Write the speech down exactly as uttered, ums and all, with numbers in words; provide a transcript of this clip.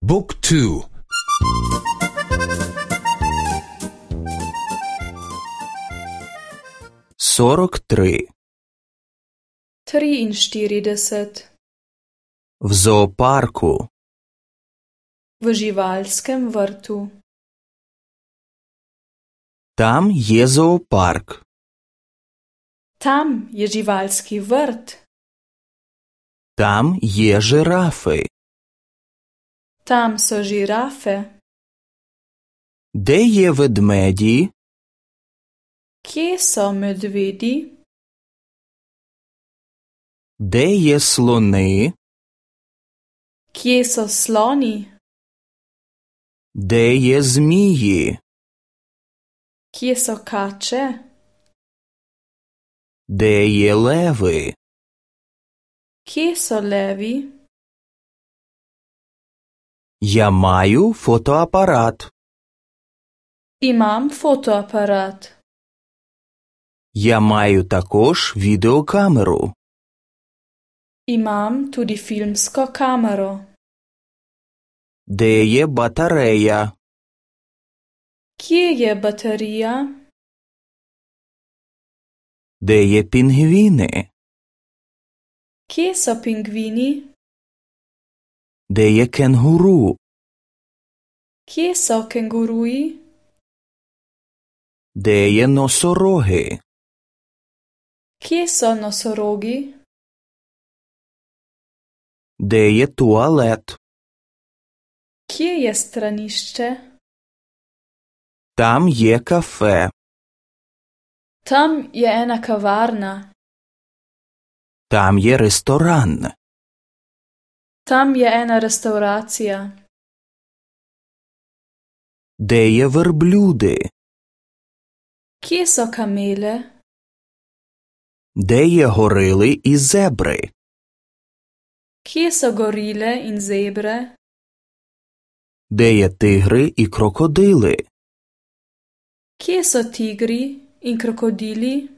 บุ๊กทูсорок три triinštirideset в зоопарку v živalskem vrtu. Там є зоопарк. Tam je živalski vrt. Там є жирафи. Tam so žirafe. Де є ведмеді? Kje so medvedi? Де є слони? Kje so sloni? Де є змії? Kje so kače? Де є леви? Kje so levi? Я маю фотоапарат. Imam fotoaparat. Я маю також відеокамеру. Imam tudi filmsko kamero. Де є батарея? Kje je baterija? Де є пінгвіни? Kje so pingvini? Де є кенгуру? Kje so kenguruji? Де є носороги? Kje so nosorogi? Де є туалет? Kje je stranišče? Там є кафе. Tam je ena kavarna. Там є ресторан. Tam je ena restauracija. Де є верблюди? Kje so kamele? Де є горили і зебри? Kje so gorile in zebre? Де є тигри і крокодили? Kje so tigri in krokodili?